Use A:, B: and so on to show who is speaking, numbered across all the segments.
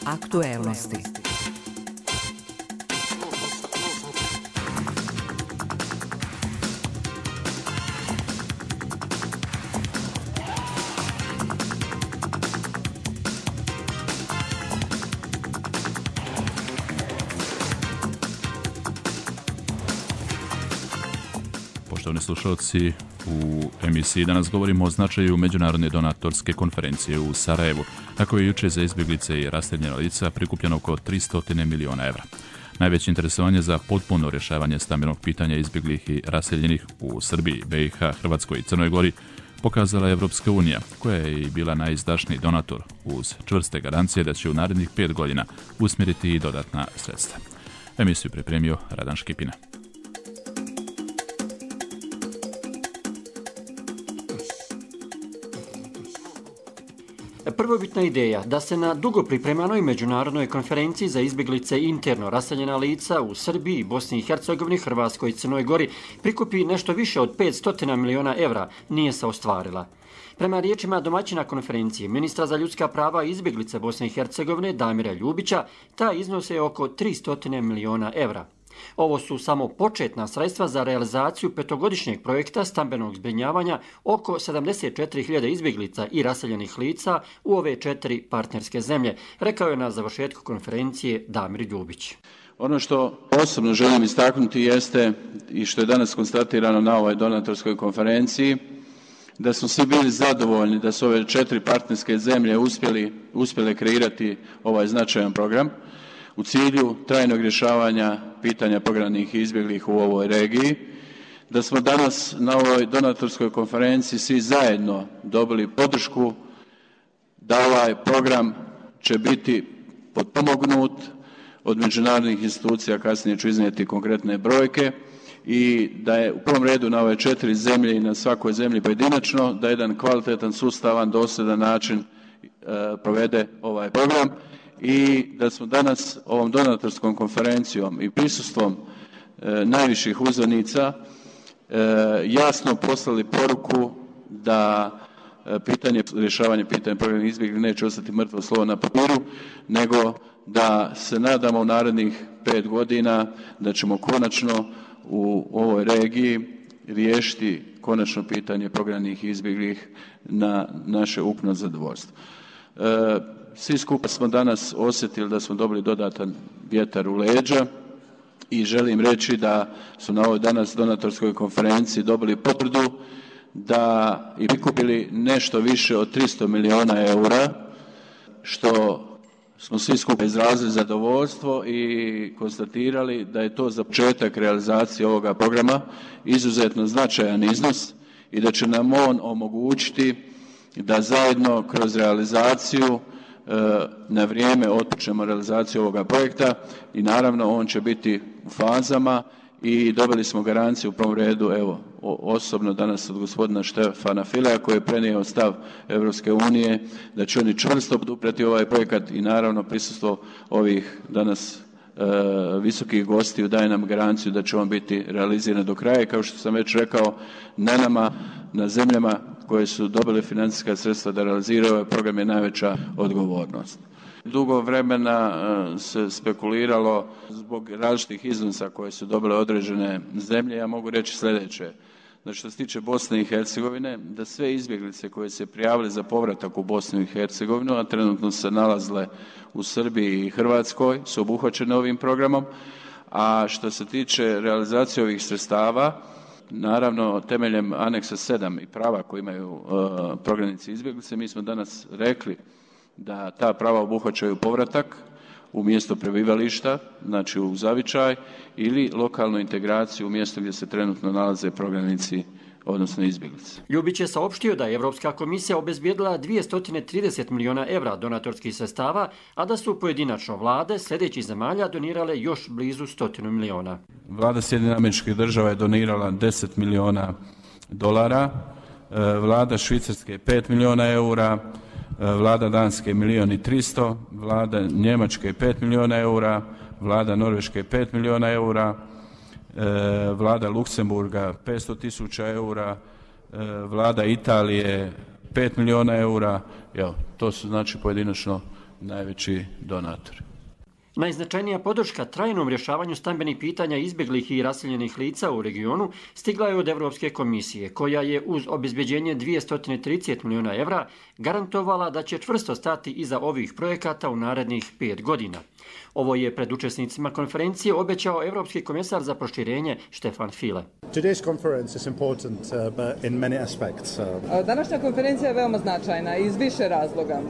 A: Aktuelnosti.
B: Poštovani slušalci, u emisiji danas govorimo o značaju međunarodne donatorske konferencije u Sarajevu, na kojoj je juče za izbjeglice i raseljena lica prikupljeno oko 300 miliona evra. Najveće interesovanje za potpuno rješavanje stambenog pitanja izbjeglih i raseljenih u Srbiji, BiH, Hrvatskoj i Crnoj Gori pokazala je Evropska unija, koja je i bila najizdašniji donator uz čvrste garancije da će u narednih 5 godina usmjeriti i dodatna sredstva. Emisiju pripremio Radan Škipina.
C: Prvobitna ideja da se na dugo pripremanoj međunarodnoj konferenciji za izbjeglice i interno raseljena lica u Srbiji, Bosni i Hercegovini, Hrvatskoj i Crnoj Gori prikupi nešto više od 500 miliona evra nije se ostvarila. Prema riječima domaćina konferencije, ministra za ljudska prava i izbjeglice Bosne i Hercegovine Damira Ljubića, ta iznos je oko 300 miliona evra. Ovo su samo početna sredstva za realizaciju petogodišnjeg projekta stambenog zbrinjavanja oko 74.000 izbjeglica i raseljenih lica u ove 4 partnerske zemlje, rekao je na završetku konferencije Damir Ljubić.
D: Ono što osobno želim istaknuti jeste i što je danas konstatirano na ovoj donatorskoj konferenciji, da smo svi bili zadovoljni da su ove 4 partnerske zemlje uspjele kreirati ovaj značajan program u cilju trajnog rješavanja pitanja prognanih i izbjeglih u ovoj regiji, da smo danas na ovoj donatorskoj konferenciji svi zajedno dobili podršku da ovaj program će biti potpomognut od međunarodnih institucija, kasnije ću iznijeti konkretne brojke, i da je u prvom redu na ove 4 zemlje i na svakoj zemlji pojedinačno da jedan kvalitetan, sustavan, dosljedan način provede ovaj program. I da smo danas ovom donatorskom konferencijom i prisustvom najviših uzvanica jasno poslali poruku da rješavanje pitanja prognanih izbjeglih neće ostati mrtvo slovo na papiru, nego da se nadamo u narednih 5 godina da ćemo konačno u ovoj regiji riješiti konačno pitanje prognanih izbjeglih na naše ukupno zadovoljstvo. Svi skupa smo danas osjetili da smo dobili dodatan vjetar u leđa i želim reći da su na ovoj danas donatorskoj konferenciji dobili potvrdu da i prikupili nešto više od 300 miliona eura, što smo svi skupa izrazili zadovoljstvo i konstatirali da je to za početak realizacije ovoga programa izuzetno značajan iznos i da će nam on omogućiti da zajedno kroz realizaciju na vrijeme otpočnemo realizaciju ovoga projekta i naravno on će biti u fazama i dobili smo garanciju u prvom redu, evo, osobno danas od gospodina Štefana Fileja koji je prenio stav Evropske unije da će oni čvrsto poduprijeti ovaj projekat i naravno prisustvo ovih danas visokih gostiju daje nam garanciju da će on biti realiziran do kraja i kao što sam već rekao, na nama, na zemljama koje su dobile financijska sredstva da realiziraju ovaj program je najveća odgovornost. Dugo vremena se spekuliralo zbog različitih iznosa koje su dobile određene zemlje. Ja mogu reći sljedeće. Znači, što se tiče Bosne i Hercegovine, da sve izbjeglice koje se prijavili za povratak u Bosnu i Hercegovinu, a trenutno se nalazile u Srbiji i Hrvatskoj, su obuhvaćene ovim programom. A što se tiče realizacije ovih sredstava, naravno temeljem aneksa 7 i prava koje imaju prognanici izbjeglice, mi smo danas rekli da ta prava obuhvaćaju povratak u mjesto prebivališta, znači u zavičaj, ili lokalnu integraciju u mjesto gdje se trenutno nalaze prognanici, odnosno izbjeglice.
C: Ljubić je saopštio da je Evropska komisija obezbijedila 230 miliona evra donatorskih sredstava, a da su pojedinačno vlade sljedećih zemalja donirale još blizu 100 miliona.
D: Vlada Sjedinjenih Američkih Država je donirala 10 miliona dolara, vlada Švicarske 5 miliona eura, vlada Danske 1.300.000, vlada Njemačke 5 miliona eura, vlada Norveške 5 miliona eura, vlada Luksemburga 500.000 eura, vlada Italije 5 miliona eura. Evo, to su znači pojedinačno najveći donator.
C: Najznačajnija podrška trajnom rješavanju stambenih pitanja izbjeglih i raseljenih lica u regionu stigla je od Europske komisije, koja je uz obezbeđenje 230 milijuna evra garantovala da će čvrsto stati iza ovih projekata u narednih 5 godina. Ovo je pred učesnicima konferencije obećao Europski komesar za proširenje Stefan Füle.
A: Današnja konferencija je veoma značajna iz više razloga.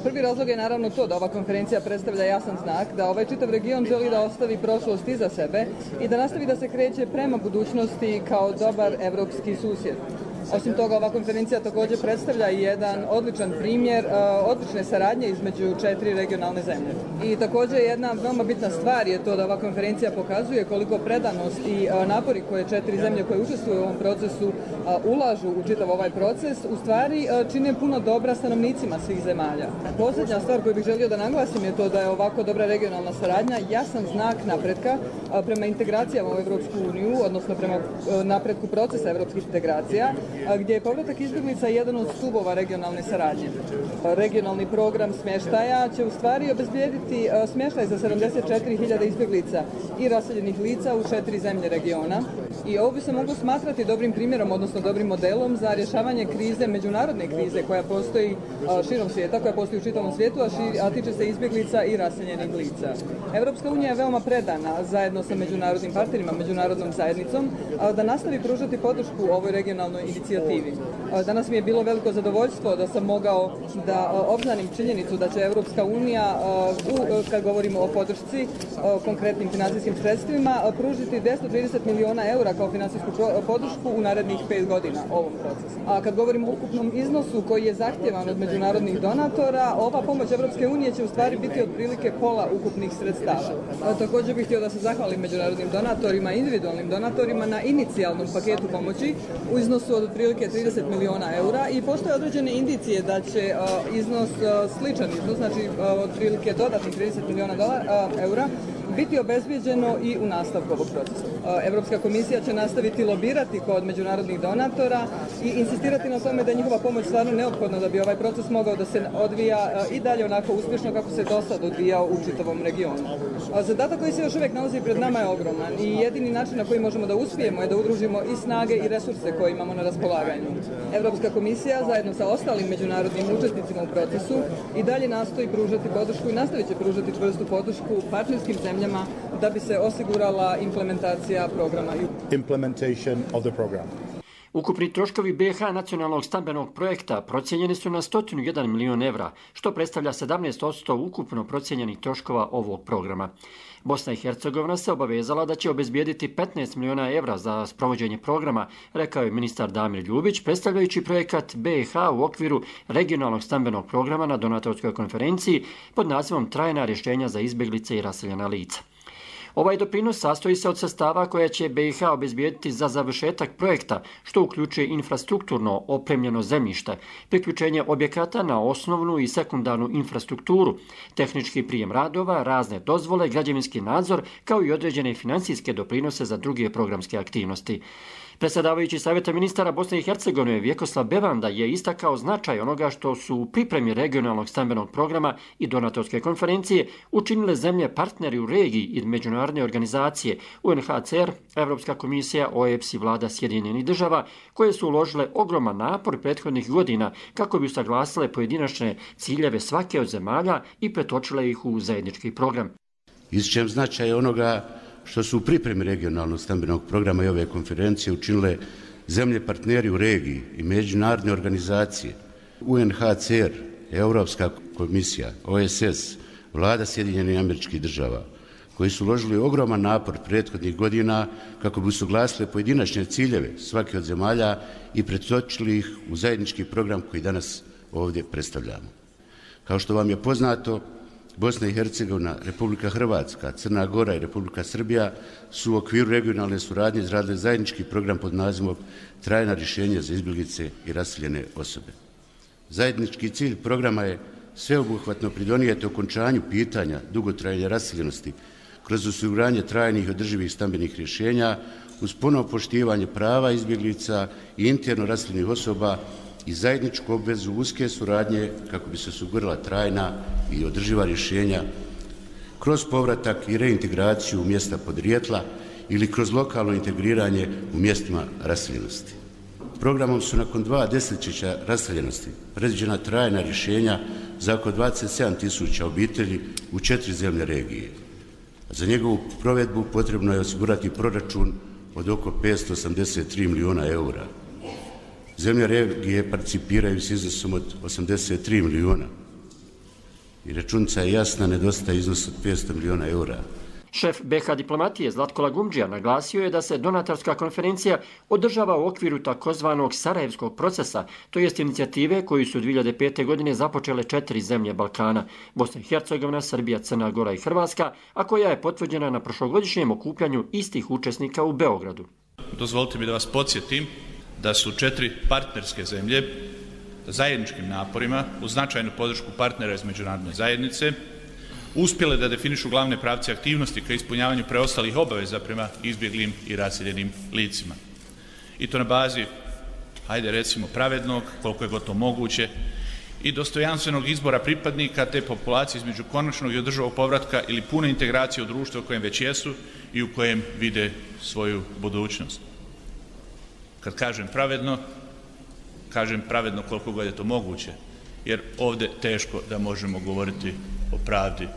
A: Prvi razlog je naravno to da ova konferencija predstavlja jasan znak da ovaj čitav region želi da ostavi prošlost iza sebe i da nastavi da se kreće prema budućnosti kao dobar evropski susjed. Osim toga, ova konferencija također predstavlja jedan odličan primjer odlične saradnje između 4 regionalne zemlje. I također jedna veoma bitna stvar je to da ova konferencija pokazuje koliko predanost i napori koje 4 zemlje koje učestvuju u ovom procesu ulažu u čitav ovaj proces, u stvari čine puno dobra stanovnicima svih zemalja. Posljednja stvar koju bih želio da naglasim je to da je ovako dobra regionalna saradnja jasan znak napretka prema integracijama u Evropsku uniju, odnosno prema napretku procesa evropskih integracija, gdje je povratak izbjeglica jedan od stubova regionalne saradnje. Regionalni program smještaja će u stvari obezbijediti smještaj za 74.000 izbjeglica i raseljenih lica u 4 zemlje regiona. I ovo bi se moglo smatrati dobrim primjerom, odnosno dobrim modelom za rješavanje krize, međunarodne krize koja postoji širom svijeta, koja postoji u čitavom svijetu, a tiče se izbjeglica i raseljenih lica. Europska unija je veoma predana zajedno sa međunarodnim partnerima, međunarodnom zajednicom, da nastavi pružati podršku ovoj regionalnoj inicijativi. Danas mi je bilo veliko zadovoljstvo da sam mogao da obznanim činjenicu da će Europska unija, kad govorimo o podršci, konkretnim financijskim sredstvima, pružiti 230 milijuna eura kao financijsku podršku u narednih 5 godina ovom procesu. A kad govorimo o ukupnom iznosu koji je zahtjevan od međunarodnih donatora, ova pomoć Europske unije će u stvari biti otprilike pola ukupnih sredstava. Također bih htio da se zahvalim međunarodnim donatorima, individualnim donatorima na inicijalnom paketu pomoći u iznosu od otprilike 30 milijuna eura i postoje određene indicije da će iznos sličan iznos, znači otprilike dodatnih 30 milijuna eura, biti obezbijeđeno i u nastavku ovog procesa. Europska komisija će nastaviti lobirati kod međunarodnih donatora i insistirati na tome da je njihova pomoć stvarno neophodna da bi ovaj proces mogao da se odvija i dalje onako uspješno kako se do sad odvijao u čitavom regionu. Zadatak koji se još uvijek nalazi pred nama je ogroman i jedini način na koji možemo da uspijemo je da udružimo i snage i resurse koje imamo na raspolaganju. Europska komisija zajedno sa ostalim međunarodnim učesnicima u procesu i dalje nastoji pružati podršku i nastavit će pružati čvrstu podršku partnerskim zemljama da bi se osigurala implementacija programa.
C: Ukupni troškovi BiH nacionalnog stambenog projekta procijenjeni su na 101 milijun evra, što predstavlja 17% ukupno procijenjenih troškova ovog programa. Bosna i Hercegovina se obavezala da će obezbijediti 15 milijuna evra za sprovođenje programa, rekao je ministar Damir Ljubić, predstavljajući projekat BiH u okviru regionalnog stambenog programa na donatorskoj konferenciji pod nazivom Trajna rješenja za izbjeglice i raseljena lica. Ovaj doprinos sastoji se od sredstava koja će BiH obezbijediti za završetak projekta, što uključuje infrastrukturno opremljeno zemljište, priključenje objekata na osnovnu i sekundarnu infrastrukturu, tehnički prijem radova, razne dozvole, građevinski nadzor, kao i određene financijske doprinose za druge programske aktivnosti. Predsjedavajući Savjeta ministara Bosne i Hercegovine Vjekoslav Bevanda je istakao značaj onoga što su u pripremi regionalnog stambenog programa i donatorske konferencije učinile zemlje partneri u regiji i međunarodne organizacije UNHCR, Europska komisija, OEBS i vlada Sjedinjenih država, koje su uložile ogroman napor prethodnih godina kako bi usaglasile pojedinačne ciljeve svake od zemalja i pretočile ih u zajednički program.
E: Ističem značaj onoga što su u pripremi regionalnog stambenog programa i ove konferencije učinile zemlje partneri u regiji i međunarodne organizacije, UNHCR, Europska komisija, OSS, vlada Sjedinjenih Američkih Država, koji su uložili ogroman napor prethodnih godina kako bi usuglasili pojedinačne ciljeve svake od zemalja i pretočili ih u zajednički program koji danas ovdje predstavljamo. Kao što vam je poznato, Bosna i Hercegovina, Republika Hrvatska, Crna Gora i Republika Srbija su u okviru regionalne suradnje izradile zajednički program pod nazivom Trajna rješenja za izbjeglice i raseljene osobe. Zajednički cilj programa je sveobuhvatno pridonijeti okončanju pitanja dugotrajne raseljenosti kroz osiguranje trajnih i održivih stambenih rješenja uz puno poštivanje prava izbjeglica i interno raseljenih osoba i zajedničku obvezu uske suradnje kako bi se osigurala trajna i održiva rješenja kroz povratak i reintegraciju u mjesta podrijetla ili kroz lokalno integriranje u mjestima raseljenosti. Programom su nakon 2 desetljeća raseljenosti predviđena trajna rješenja za oko 27.000 obitelji u 4 zemlje regije. Za njegovu provedbu potrebno je osigurati proračun od oko 583 milijuna eura. Zemlje regije participiraju s iznosom od 83 milijuna. I računica je jasna, nedostaje iznos od 500 milijuna eura.
C: Šef BiH diplomatije Zlatko Lagumdžija naglasio je da se donatorska konferencija održava u okviru takozvanog Sarajevskog procesa, to jest inicijative koju su 2005. godine započele 4 zemlje Balkana, Bosna i Hercegovina, Srbija, Crna Gora i Hrvatska, a koja je potvrđena na prošlogodišnjem okupljanju istih učesnika u Beogradu.
F: Dozvolite mi da vas podsjetim da su 4 partnerske zemlje zajedničkim naporima uz značajnu podršku partnera iz međunarodne zajednice uspjele da definišu glavne pravce aktivnosti ka ispunjavanju preostalih obaveza prema izbjeglim i raseljenim licima. I to na bazi, hajde recimo, pravednog, koliko je gotovo moguće, i dostojanstvenog izbora pripadnika te populacije između konačnog i održivog povratka ili pune integracije u društvo u kojem već jesu i u kojem vide svoju budućnost. Kad kažem pravedno koliko god je to moguće, jer ovdje teško da možemo govoriti o pravdi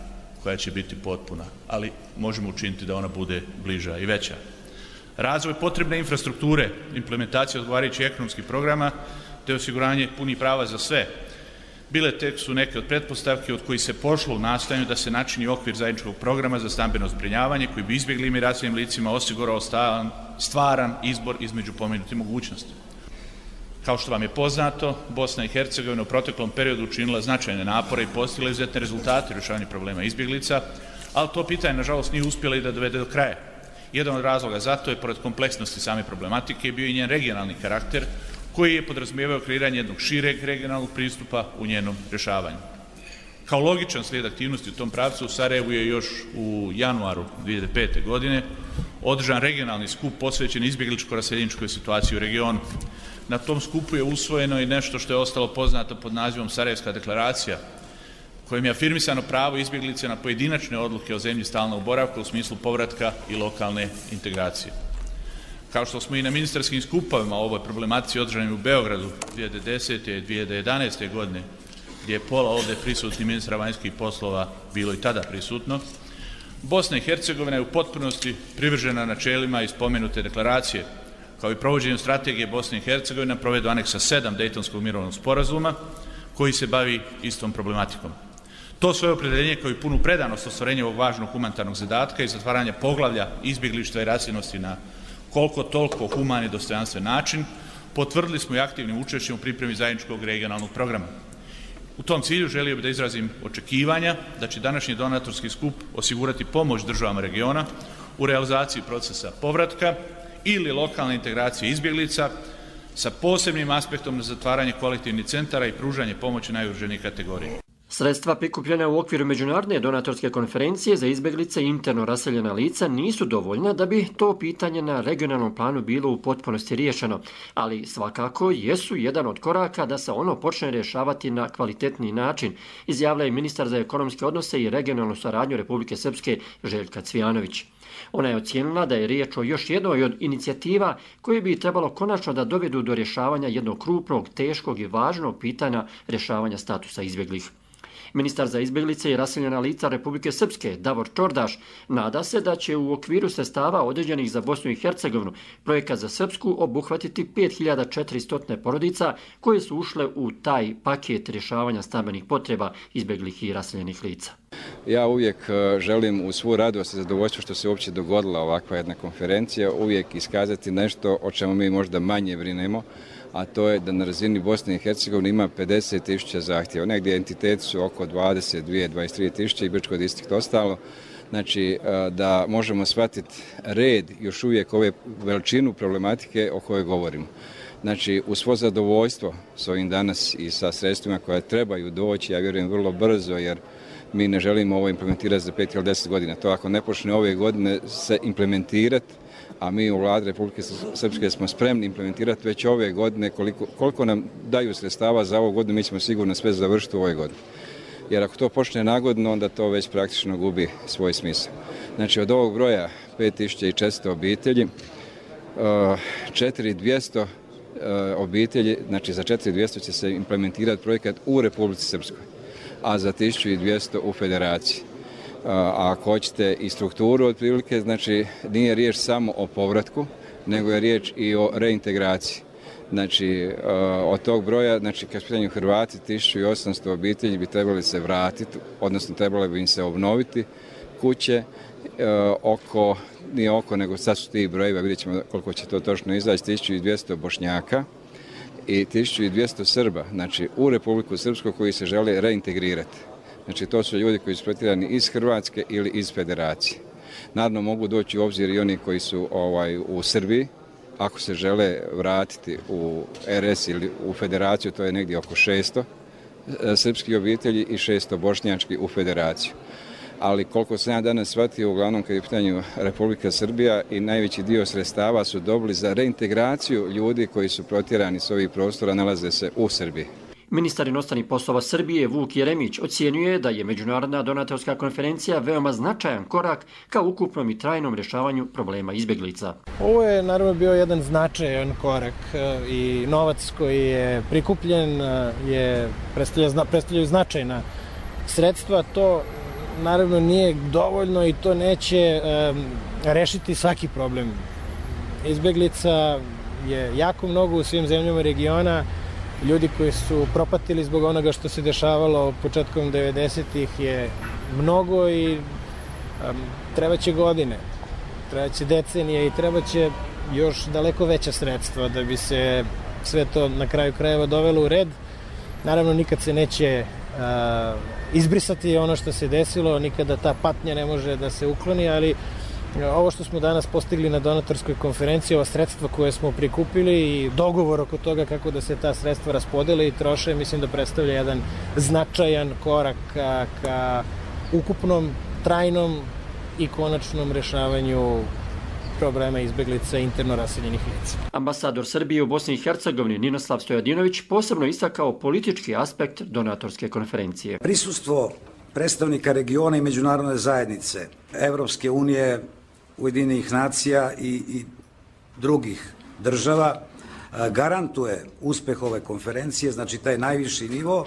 F: koja će biti potpuna, ali možemo učiniti da ona bude bliža i veća. Razvoj potrebne infrastrukture, implementacija odgovarajućih ekonomskih programa te osiguranje punih prava za sve. Bile tek su neke od pretpostavki od kojih se pošlo u nastojanju da se načini okvir zajedničkog programa za stambeno zbrinjavanje koji bi izbjeglim i raseljenim licima osigurao stvaran izbor između pomenutih mogućnosti. Kao što vam je poznato, Bosna i Hercegovina u proteklom periodu učinila značajne napore i postigla izuzetne rezultate u rješavanju problema izbjeglica, ali to pitanje, nažalost, nije uspjela i da dovede do kraja. Jedan od razloga za to je, pored kompleksnosti same problematike, bio i njen regionalni karakter, koji je podrazumijevao kreiranje jednog šireg regionalnog pristupa u njenom rješavanju. Kao logičan slijed aktivnosti u tom pravcu, u Sarajevu je još u januaru 2005. godine održan regionalni skup posvećen izbjegličko-raseljeničkoj situaciji u regionu. Na tom skupu je usvojeno i nešto što je ostalo poznato pod nazivom Sarajevska deklaracija, kojim je afirmisano pravo izbjeglice na pojedinačne odluke o zemlji stalnog boravka u smislu povratka i lokalne integracije. Kao što smo i na ministarskim skupovima o ovoj problematici održanim u Beogradu 2010. i 2011. godine, gdje je pola ovdje prisutnih ministra vanjskih poslova bilo i tada prisutno, Bosna i Hercegovina je u potpunosti privržena načelima iz spomenute deklaracije, kao i provođenju strategije Bosne i Hercegovine na provedbu aneksa 7 Dejtonskog mirovnog sporazuma, koji se bavi istom problematikom. To svoje opredjeljenje kao i punu predanost ostvarenja ovog važnog humanitarnog zadatka i zatvaranja poglavlja izbjeglištva i raseljenosti na koliko toliko human i dostojanstven način, potvrdili smo i aktivnim učešćem u pripremi zajedničkog regionalnog programa. U tom cilju želio bih da izrazim očekivanja da će današnji donatorski skup osigurati pomoć državama regiona u realizaciji procesa povratka ili lokalne integracije izbjeglica sa posebnim aspektom na zatvaranje kolektivnih centara i pružanje pomoći najugroženijih kategorija.
C: Sredstva prikupljena u okviru Međunarodne donatorske konferencije za izbjeglice i interno raseljena lica nisu dovoljna da bi to pitanje na regionalnom planu bilo u potpunosti riješeno, ali svakako jesu jedan od koraka da se ono počne rješavati na kvalitetniji način, izjavila je ministar za ekonomske odnose i regionalnu saradnju Republike Srpske Željka Cvijanović. Ona je ocijenila da je riječ o još jednoj od inicijativa koje bi trebalo konačno da dovedu do rješavanja jednog krupnog, teškog i važnog pitanja rješavanja statusa izbjeglih. Ministar za izbjeglice i raseljena lica Republike Srpske, Davor Čordaš, nada se da će u okviru sredstava određenih za Bosnu i Hercegovinu projekat za Srpsku obuhvatiti 5400 porodica koje su ušle u taj paket rješavanja stambenih potreba izbjeglih i raseljenih lica.
G: Ja uvijek želim u svu radost i zadovoljstvo što se uopće dogodila ovakva jedna konferencija, uvijek iskazati nešto o čemu mi možda manje brinemo, a to je da na razini Bosne i Hercegovine ima 50.000 zahtjeva. Negdje entiteti su oko 22-23.000 i Brčko distrikt ostalo. Znači da možemo shvatiti red još uvijek ove veličinu problematike o kojoj govorimo. Znači, uz svo zadovoljstvo s ovim danas i sa sredstvima koja trebaju doći, ja vjerujem vrlo brzo, jer mi ne želimo ovo implementirati za 5 ili 10 godina. To ako ne počne ove godine se implementirati, a mi u Vladi Republike Srpske smo spremni implementirati već ove godine koliko nam daju sredstava za ovu godinu, mi ćemo sigurno sve završiti u ovoj godini. Jer ako to počne nagodno, onda to već praktično gubi svoj smisao. Znači od ovog broja 5400 obitelji, 4200 obitelji, znači za 4200 će se implementirati projekat u Republici Srpskoj, a za 1200 u Federaciji. A ako hoćete i strukturu otprilike, znači nije riječ samo o povratku, nego je riječ i o reintegraciji. Znači od tog broja, znači kad pitanju Hrvati, 1800 obitelji bi trebali se vratiti, odnosno trebali bi im se obnoviti kuće, nije oko, nego sad su ti brojevi, vidjet ćemo koliko će to točno izaći, 1200 Bošnjaka i 1200 Srba, znači u Republiku Srpsku koji se žele reintegrirati. Znači to su ljudi koji su protjerani iz Hrvatske ili iz Federacije. Naravno mogu doći u obzir i oni koji su u Srbiji, ako se žele vratiti u RS ili u Federaciju, to je negdje oko 600 srpskih obitelji i 600 bošnjačkih u Federaciju. Ali koliko sam ja danas shvatio, uglavnom kad je u pitanju Republika Srbija i najveći dio sredstava su dobili za reintegraciju ljudi koji su protjerani s ovih prostora, nalaze se u Srbiji.
C: Ministar inostranih poslova Srbije Vuk Jeremić ocjenjuje da je Međunarodna donatorska konferencija veoma značajan korak ka ukupnom i trajnom rješavanju problema izbjeglica.
H: Ovo je naravno bio jedan značajan korak i novac koji je prikupljen predstavljaju značajna sredstva. To naravno nije dovoljno i to neće rešiti svaki problem. Izbjeglica je jako mnogo u svim zemljama regiona. Ljudi koji su propatili zbog onoga što se dešavalo početkom 90-ih je mnogo i trebaće godine, trebaće decenije i trebaće još daleko veća sredstva da bi se sve to na kraju krajeva dovelo u red. Naravno, nikad se neće izbrisati ono što se desilo, nikada ta patnja ne može da se ukloni, ali ovo što smo danas postigli na donatorskoj konferenciji, ova sredstva koje smo prikupili i dogovor oko toga kako da se ta sredstva raspodele i troše, mislim da predstavlja jedan značajan korak ka ukupnom, trajnom i konačnom rešavanju problema izbjeglica interno raseljenih lica.
C: Ambasador Srbije u Bosni i Hercegovini Ninoslav Stojadinović posebno istakao politički aspekt donatorske konferencije.
I: Prisustvo predstavnika regiona i međunarodne zajednice, Evropske unije, Ujedinjenih nacija i drugih država garantuje uspeh ove konferencije, znači taj najviši nivo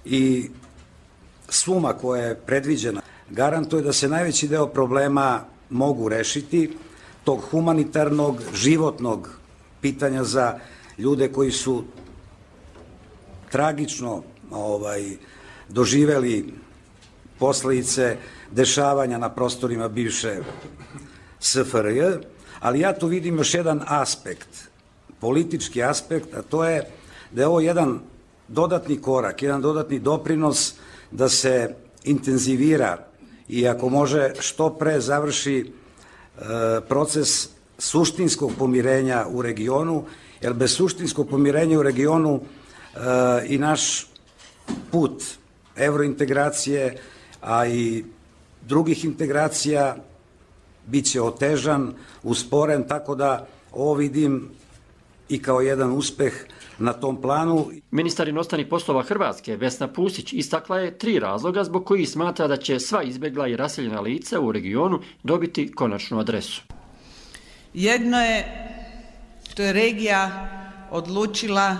I: i suma koja je predviđena garantuje da se najveći deo problema mogu rešiti, tog humanitarnog, životnog pitanja za ljude koji su tragično doživeli posledice dešavanja na prostorima bivše SFRJ, ali ja tu vidim još jedan aspekt, politički aspekt, a to je da je ovo jedan dodatni korak, jedan dodatni doprinos da se intenzivira i ako može što pre završi proces suštinskog pomirenja u regionu, jer bez suštinskog pomirenja u regionu i naš put evrointegracije, a i drugih integracija bit će otežan, usporen, tako da ovo vidim i kao jedan uspeh na tom planu.
C: Ministar inostranih poslova Hrvatske Vesna Pusić istakla je 3 razloga zbog kojih smatra da će sva izbjegla i raseljena lica u regionu dobiti konačnu adresu.
J: Jedno je što je regija odlučila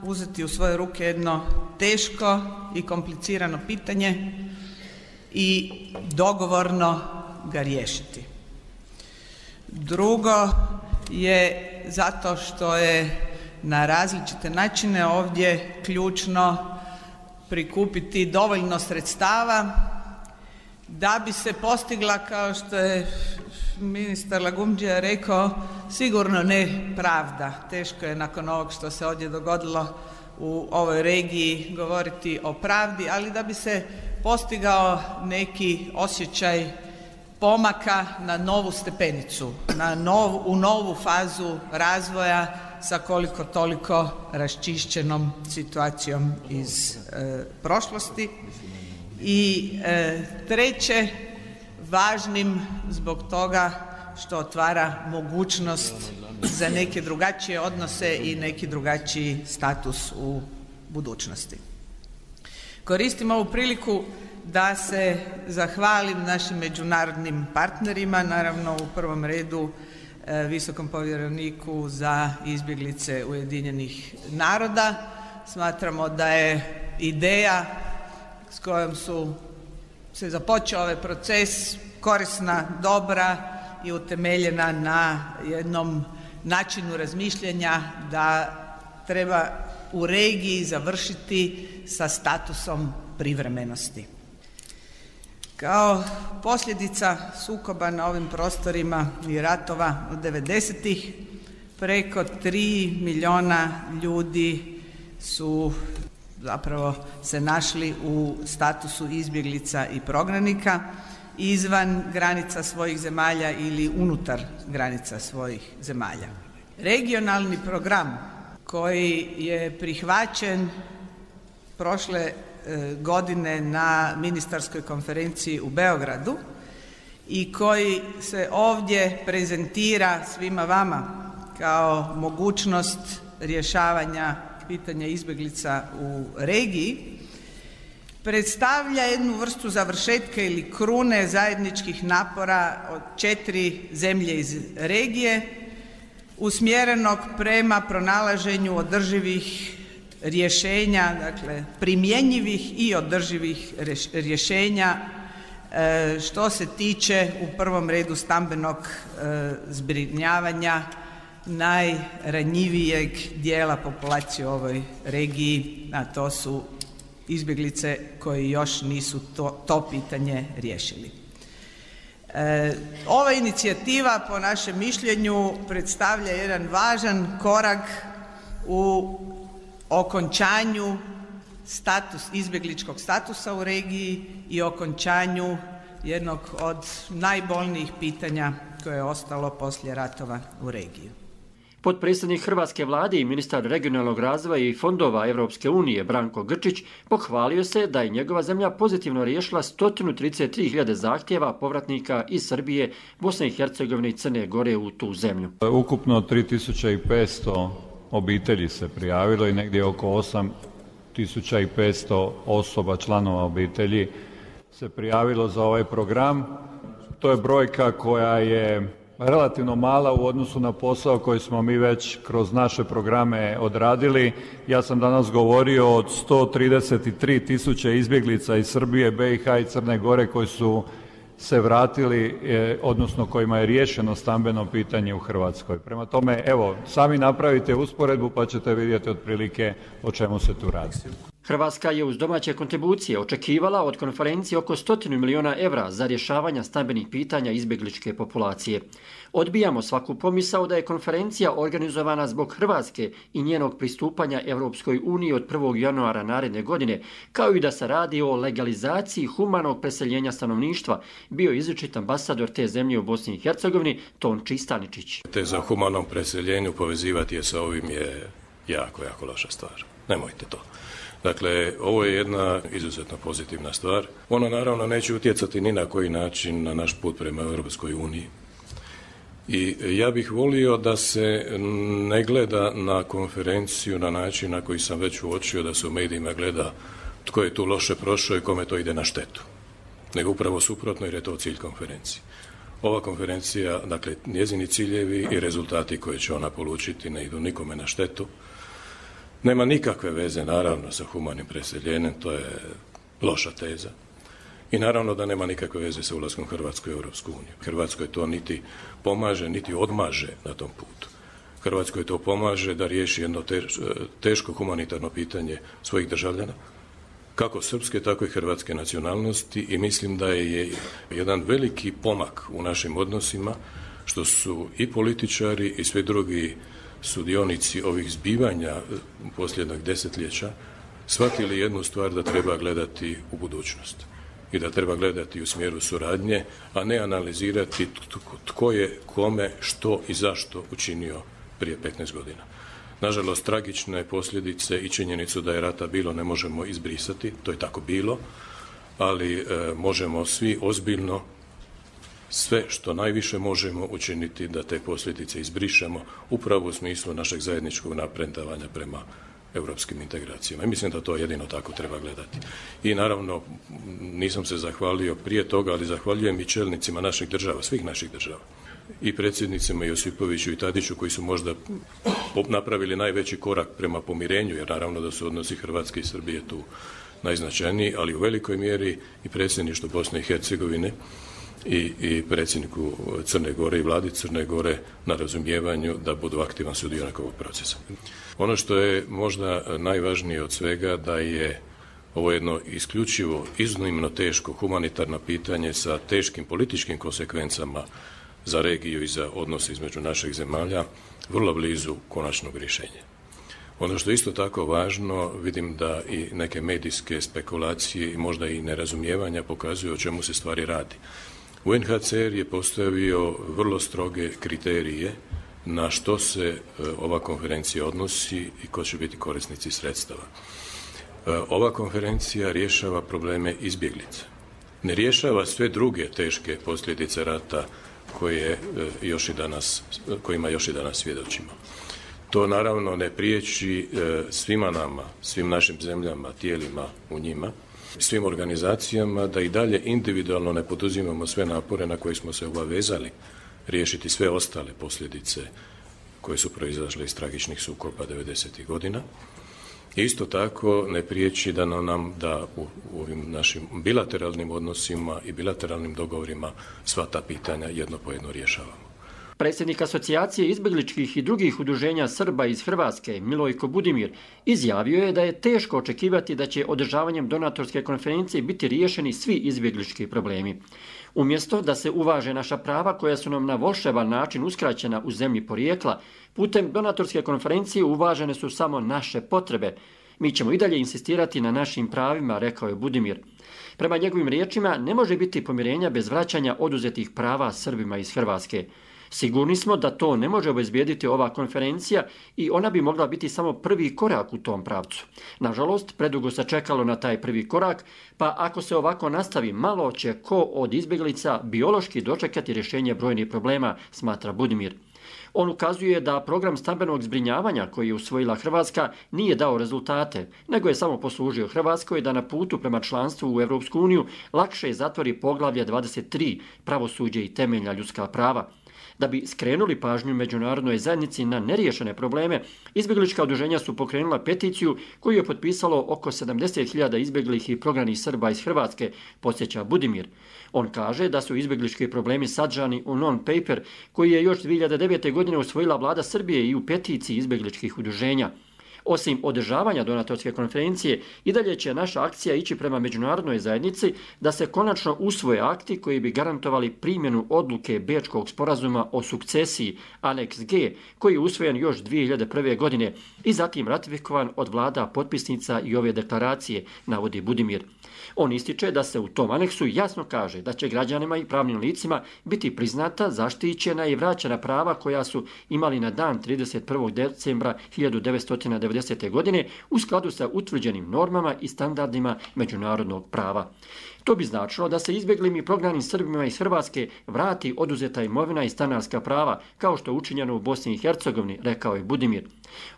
J: uzeti u svoje ruke jedno teško i komplicirano pitanje i dogovorno ga riješiti. Drugo je zato što je na različite načine ovdje ključno prikupiti dovoljno sredstava da bi se postigla, kao što je ministar Lagumdžija rekao, sigurno ne pravda. Teško je nakon ovog što se ovdje dogodilo u ovoj regiji govoriti o pravdi, ali da bi se postigao neki osjećaj pomaka na novu stepenicu, u novu fazu razvoja sa koliko toliko raščišćenom situacijom iz prošlosti. I treće, važnim zbog toga što otvara mogućnost za neke drugačije odnose i neki drugačiji status u budućnosti. Koristim ovu priliku da se zahvalim našim međunarodnim partnerima, naravno u prvom redu visokom povjereniku za izbjeglice Ujedinjenih naroda. Smatramo da je ideja s kojom se započeo ovaj proces korisna, dobra i utemeljena na jednom načinu razmišljanja da treba u regiji završiti sa statusom privremenosti. Kao posljedica sukoba na ovim prostorima i ratova od 90-ih preko 3 milijuna ljudi su zapravo se našli u statusu izbjeglica i prognanika izvan granica svojih zemalja ili unutar granica svojih zemalja. Regionalni program koji je prihvaćen prošle godine na ministarskoj konferenciji u Beogradu i koji se ovdje prezentira svima vama kao mogućnost rješavanja pitanja izbjeglica u regiji, predstavlja jednu vrstu završetka ili krune zajedničkih napora od 4 zemlje iz regije usmjerenog prema pronalaženju održivih rješenja, dakle primjenjivih i održivih rješenja što se tiče u prvom redu stambenog zbrinjavanja najranjivijeg dijela populacije u ovoj regiji, a to su izbjeglice koji još nisu to pitanje riješili. Ova inicijativa po našem mišljenju predstavlja jedan važan korak u okončanju izbjegličkog statusa u regiji i okončanju jednog od najbolnijih pitanja koje je ostalo poslije ratova u regiji.
C: Potpredsjednik Hrvatske vlade i ministar regionalnog razvoja i fondova Europske unije Branko Grčić pohvalio se da je njegova zemlja pozitivno riješila 133.000 zahtjeva povratnika iz Srbije, Bosne i Hercegovine i Crne Gore u tu zemlju.
K: Ukupno 3.500 obitelji se prijavilo i negdje oko 8.500 osoba, članova obitelji se prijavilo za ovaj program. To je brojka koja je relativno mala u odnosu na posao koji smo mi već kroz naše programe odradili. Ja sam danas govorio od 133.000 izbjeglica iz Srbije, BiH i Crne Gore koji su se vratili, odnosno kojima je riješeno stambeno pitanje u Hrvatskoj. Prema tome, evo, sami napravite usporedbu pa ćete vidjeti otprilike o čemu se tu radi.
C: Hrvatska je uz domaće kontribucije očekivala od konferencije oko 100 milijuna evra za rješavanje stambenih pitanja izbjegličke populacije. Odbijamo svaku pomisao da je konferencija organizovana zbog Hrvatske i njenog pristupanja Europskoj uniji od 1. januara naredne godine, kao i da se radi o legalizaciji humanog preseljenja stanovništva, bio izričit ambasador te zemlje u Bosni i Hercegovini Tonči Staničić.
L: Te za humanom preseljenju povezivati je sa ovim je jako, jako loša stvar. Nemojte to. Dakle, ovo je jedna izuzetno pozitivna stvar. Ona naravno neće utjecati ni na koji način na naš put prema Europskoj uniji. I ja bih volio da se ne gleda na konferenciju na način na koji sam već uočio da se u medijima gleda tko je tu loše prošao i kome to ide na štetu. Nego upravo suprotno jer je to cilj konferencije. Ova konferencija, dakle, njezini ciljevi i rezultati koje će ona polučiti ne idu nikome na štetu. Nema nikakve veze, naravno, sa humanim preseljenjem, to je loša teza. I naravno da nema nikakve veze sa ulaskom Hrvatske u Europsku uniju. Hrvatskoj to niti pomaže, niti odmaže na tom putu. Hrvatskoj to pomaže da riješi jedno teško humanitarno pitanje svojih državljana, kako srpske, tako i hrvatske nacionalnosti i mislim da je jedan veliki pomak u našim odnosima što su i političari i svi drugi sudionici ovih zbivanja posljednjeg desetljeća shvatili jednu stvar da treba gledati u budućnost i da treba gledati u smjeru suradnje, a ne analizirati tko je kome, što i zašto učinio prije 15 godina. Nažalost, tragične posljedice i činjenicu da je rata bilo ne možemo izbrisati, to je tako bilo, ali možemo svi ozbiljno sve što najviše možemo učiniti da te posljedice izbrišemo upravo u smislu našeg zajedničkog napredovanja prema europskim integracijama. I mislim da to jedino tako treba gledati. I naravno, nisam se zahvalio prije toga, ali zahvaljujem i čelnicima naših država, svih naših država. I predsjednicima Josipoviću i Tadiću koji su možda napravili najveći korak prema pomirenju, jer naravno da su odnosi Hrvatske i Srbije tu najznačajniji, ali u velikoj mjeri i predsjedništvo Bosne i Hercegovine i predsjedniku Crne Gore i vladi Crne Gore na razumijevanju da budu aktivan sudionik ovog procesa. Ono što je možda najvažnije od svega da je ovo jedno isključivo iznimno teško humanitarno pitanje sa teškim političkim konsekvencama za regiju i za odnose između naših zemalja vrlo blizu konačnog rješenja. Ono što je isto tako važno, vidim da i neke medijske spekulacije i možda i nerazumijevanja pokazuju o čemu se stvari radi. UNHCR je postavio vrlo stroge kriterije na što se ova konferencija odnosi i ko će biti korisnici sredstava. Ova konferencija rješava probleme izbjeglica. Ne rješava sve druge teške posljedice rata kojima još i danas svjedočimo. To naravno ne priječi svima nama, svim našim zemljama, tijelima u njima, svim organizacijama da i dalje individualno ne poduzimamo sve napore na koje smo se obavezali riješiti sve ostale posljedice koje su proizašle iz tragičnih sukoba 90. godina. Isto tako ne priječi da nam da u ovim našim bilateralnim odnosima i bilateralnim dogovorima sva ta pitanja jedno po jedno rješavamo.
C: Predsjednik Asocijacije izbjegličkih i drugih udruženja Srba iz Hrvatske, Milojko Budimir, izjavio je da je teško očekivati da će održavanjem donatorske konferencije biti riješeni svi izbjeglički problemi. Umjesto da se uvaže naša prava koja su nam na volšeban način uskraćena u zemlji porijekla, putem donatorske konferencije uvažene su samo naše potrebe. Mi ćemo i dalje insistirati na našim pravima, rekao je Budimir. Prema njegovim riječima, ne može biti pomirenja bez vraćanja oduzetih prava Srbima iz Hrvatske. Sigurni smo da to ne može obezbijediti ova konferencija i ona bi mogla biti samo prvi korak u tom pravcu. Nažalost, predugo se čekalo na taj prvi korak, pa ako se ovako nastavi, malo će ko od izbjeglica biološki dočekati rješenje brojnih problema, smatra Budimir. On ukazuje da program stambenog zbrinjavanja koji je usvojila Hrvatska nije dao rezultate, nego je samo poslužio Hrvatskoj da na putu prema članstvu u Europsku uniju lakše zatvori poglavlje 23 pravosuđe i temeljna ljudska prava. Da bi skrenuli pažnju međunarodnoj zajednici na neriješene probleme, izbjeglička udruženja su pokrenula peticiju koju je potpisalo oko 70.000 izbjeglih i prognanih Srba iz Hrvatske, podsjeća Budimir. On kaže da su izbjeglički problemi sadržani u non-paper koji je još 2009. godine usvojila vlada Srbije i u peticiji izbjegličkih udruženja. Osim održavanja donatorske konferencije, i dalje će naša akcija ići prema međunarodnoj zajednici da se konačno usvoje akti koji bi garantovali primjenu odluke Bečkog sporazuma o sukcesiji Aneks G, koji je usvojen još 2001. godine i zatim ratifikovan od vlada potpisnica i ove deklaracije, navodi Budimir. On ističe da se u tom aneksu jasno kaže da će građanima i pravnim licima biti priznata, zaštićena i vraćena prava koja su imali na dan 31. decembra 1990. godine u skladu sa utvrđenim normama i standardima međunarodnog prava. To bi značilo da se izbjeglim i prognanim Srbima iz Hrvatske vrati oduzeta imovina i stanarska prava, kao što je učinjeno u Bosni i Hercegovini, rekao je Budimir.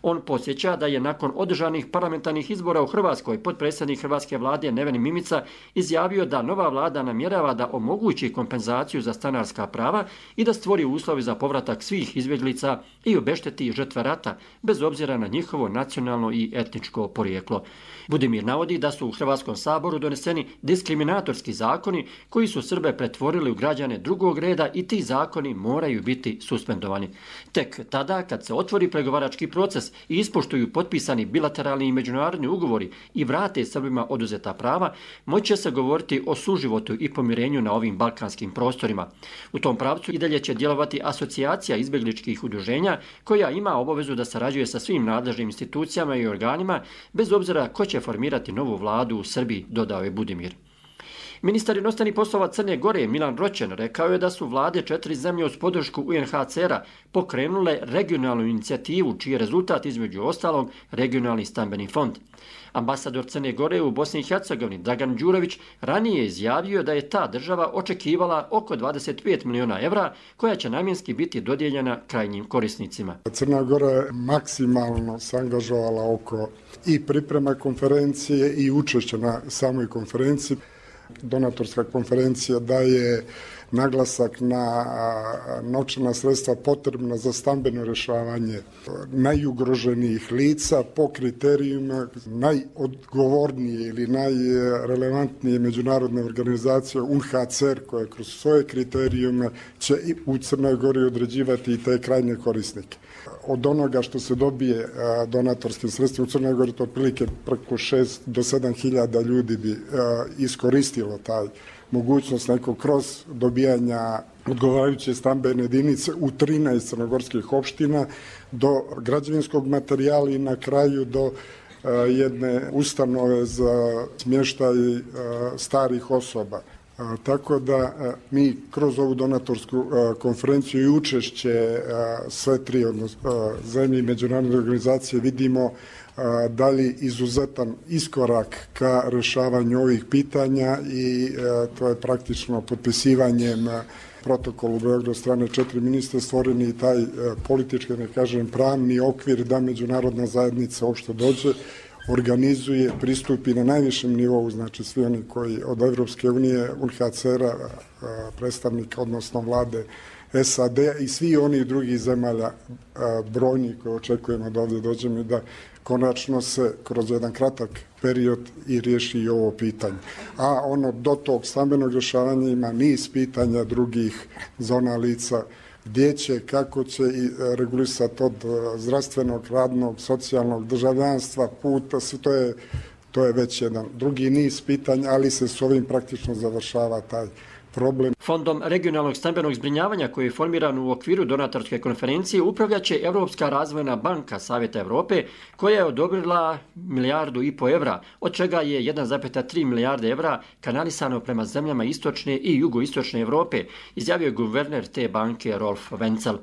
C: On podsjeća da je nakon održanih parlamentarnih izbora u Hrvatskoj potpredsjednik Hrvatske vlade Neven Mimica izjavio da nova vlada namjerava da omogući kompenzaciju za stanarska prava i da stvori uslove za povratak svih izbjeglica i obešteti žrtve rata, bez obzira na njihovo nacionalno i etničko porijeklo. Budimir navodi da su u Hrvatskom saboru doneseni diskriminatorski zakoni koji su Srbe pretvorili u građane drugog reda i ti zakoni moraju biti suspendovani. Tek tada, kad se otvori pregovarački proces i ispoštuju potpisani bilateralni i međunarodni ugovori i vrate Srbima oduzeta prava, moći će se govoriti o suživotu i pomirenju na ovim balkanskim prostorima. U tom pravcu i dalje će djelovati Asocijacija izbjegličkih udruženja koja ima obavezu da sarađuje sa svim nadležnim institucijama i organima, bez obzira ko će formirati novu vladu u Srbiji, dodao je Budimir. Ministar inostranih poslova Crne Gore Milan Roćen rekao je da su vlade 4 zemlje uz podršku UNHCR-a pokrenule regionalnu inicijativu čiji je rezultat između ostalog regionalni stambeni fond. Ambasador Crne Gore u Bosni i Hercegovini Dragan Đurović ranije je izjavio da je ta država očekivala oko 25 miliona evra koja će namjenski biti dodijeljena krajnjim korisnicima.
M: Crna Gora je maksimalno se angažovala oko i priprema konferencije i učešća na samoj konferenciji. Donatorska konferencija daje naglasak na novčana sredstva potrebna za stambeno rješavanje najugroženijih lica po kriterijima najodgovornije ili najrelevantnije međunarodne organizacije UNHCR koje kroz svoje kriterijume će u Crnoj Gori određivati i te krajnje korisnike. Od onoga što se dobije donatorskim sredstvima u Crnoj Gori, to otprilike preko 6 do 7 hiljada ljudi bi iskoristilo taj mogućnost nekog kroz dobijanja odgovarajuće stambene jedinice u 13 crnogorskih opština do građevinskog materijala i na kraju do jedne ustanove za smještaj starih osoba. Tako da mi kroz ovu donatorsku konferenciju i učešće sve tri zemlje i međunarodne organizacije vidimo dalje izuzetan iskorak ka rješavanju ovih pitanja i to je praktično potpisivanjem protokolu u Beogradu strane 4 ministra stvoreni i taj politički, ne kažem, pravni okvir da međunarodna zajednica uopšte dođe, organizuje, pristupi na najvišem nivou, znači svi oni koji od Evropske unije, UNHCR-a, predstavnika, odnosno vlade SAD i svi oni drugih zemalja brojni koje očekujemo da ovdje dođemo i da konačno se kroz jedan kratak period i riješi i ovo pitanje. A ono do tog stambenog rješavanja ima niz pitanja drugih zona lica gdje će, kako će i regulisati od zdravstvenog, radnog, socijalnog, državljanstva, puta, to je već jedan drugi niz pitanja, ali se s ovim praktično završava taj problem.
C: Fondom regionalnog stambenog zbrinjavanja koji je formiran u okviru donatorske konferencije upravljaće Europska razvojna banka Savjeta Europe koja je odobrila 1,5 milijardu evra, od čega je 1,3 milijarde evra kanalisano prema zemljama istočne i jugoistočne Europe, izjavio je guverner te banke Rolf Wenzel.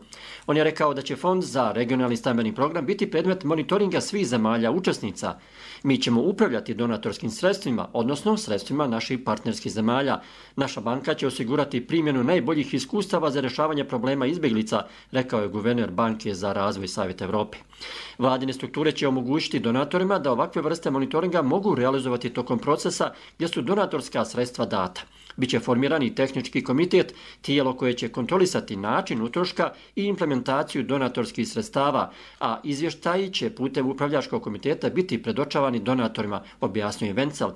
C: On je rekao da će fond za regionalni stambeni program biti predmet monitoringa svih zemalja učesnica. Mi ćemo upravljati donatorskim sredstvima, odnosno sredstvima naših partnerskih zemalja. Naša banka će osigurati primjenu najboljih iskustava za rješavanje problema izbjeglica, rekao je guverner Banke za razvoj Savjeta Europe. Vladine strukture će omogućiti donatorima da ovakve vrste monitoringa mogu realizovati tokom procesa gdje su donatorska sredstva data. Biće formiran i tehnički komitet, tijelo koje će kontrolisati način utroška i implementaciju donatorskih sredstava, a izvještaji će putem upravljačkog komiteta biti predočavani donatorima, objasnio je Wenzel.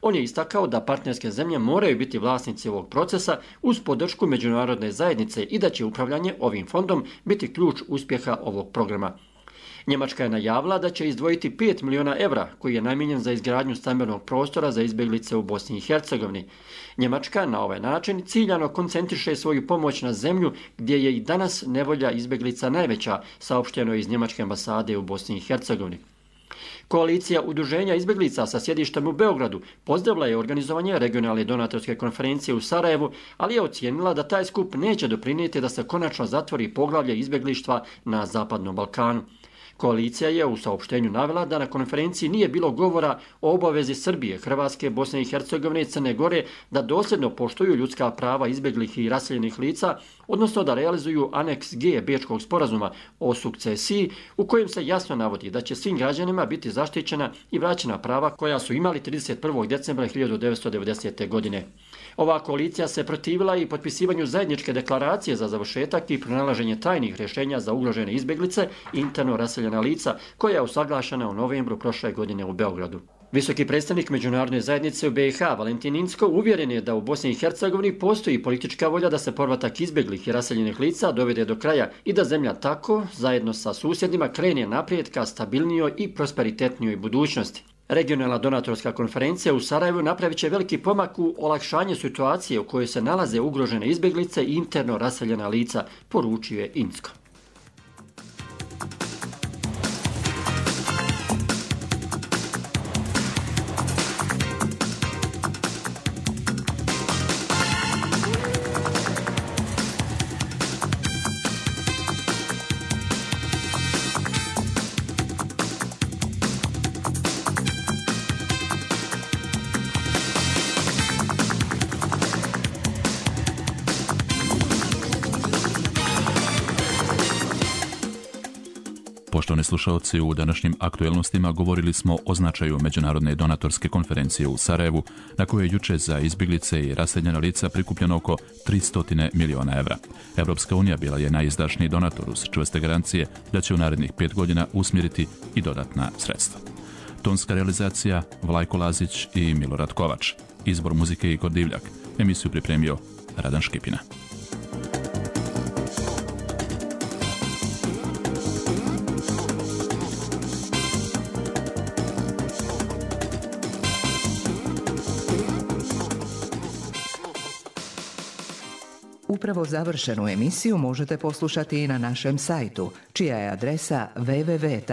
C: On je istakao da partnerske zemlje moraju biti vlasnici ovog procesa uz podršku međunarodne zajednice i da će upravljanje ovim fondom biti ključ uspjeha ovog programa. Njemačka je najavila da će izdvojiti 5 miliona evra koji je namijenjen za izgradnju stambenog prostora za izbjeglice u Bosni i Hercegovini. Njemačka na ovaj način ciljano koncentriše svoju pomoć na zemlju gdje je i danas nevolja izbjeglica najveća, saopšteno iz Njemačke ambasade u Bosni i Hercegovini. Koalicija udruženja izbjeglica sa sjedištem u Beogradu pozdravila je organizovanje regionalne donatorske konferencije u Sarajevu, ali je ocijenila da taj skup neće doprinijeti da se konačno zatvori poglavlje izbjeglištva na Zapadnom Balkanu. Koalicija je u saopštenju navela da na konferenciji nije bilo govora o obavezi Srbije, Hrvatske, Bosne i Hercegovine i Crne Gore da dosljedno poštuju ljudska prava izbjeglih i raseljenih lica, odnosno da realizuju aneks G Bečkog sporazuma o sukcesiji u kojem se jasno navodi da će svim građanima biti zaštićena i vraćena prava koja su imali 31. decembra 1990. godine. Ova koalicija se protivila i potpisivanju zajedničke deklaracije za završetak i pronalaženje trajnih rješenja za ugrožene izbjeglice i interno raseljena lica koja je usaglašena u novembru prošle godine u Beogradu. Visoki predstavnik međunarodne zajednice u BiH Valentin Incko uvjeren je da u Bosni i Hercegovini postoji politička volja da se povratak izbjeglih i raseljenih lica dovede do kraja i da zemlja tako, zajedno sa susjedima, krene naprijed ka stabilnijoj i prosperitetnijoj budućnosti. Regionalna donatorska konferencija u Sarajevu napravit će veliki pomak u olakšanju situacije u kojoj se nalaze ugrožene izbjeglice i interno raseljena lica, poručio je Incko.
B: Poštovani slušalci, u današnjim aktuelnostima govorili smo o značaju Međunarodne donatorske konferencije u Sarajevu, na kojoj je juče za izbjeglice i raseljena lica prikupljeno oko 300 milijuna evra. Evropska unija bila je najizdašniji donator uz čvrste garancije da će u narednih 5 godina usmjeriti i dodatna sredstva. Tonska realizacija Vlajko Lazić i Milorad Kovač. Izbor muzike Igor Divljak. Emisiju pripremio Radan Škipina.
N: Upravo završenu emisiju možete poslušati i na našem sajtu, čija je adresa www.rtrs.tv.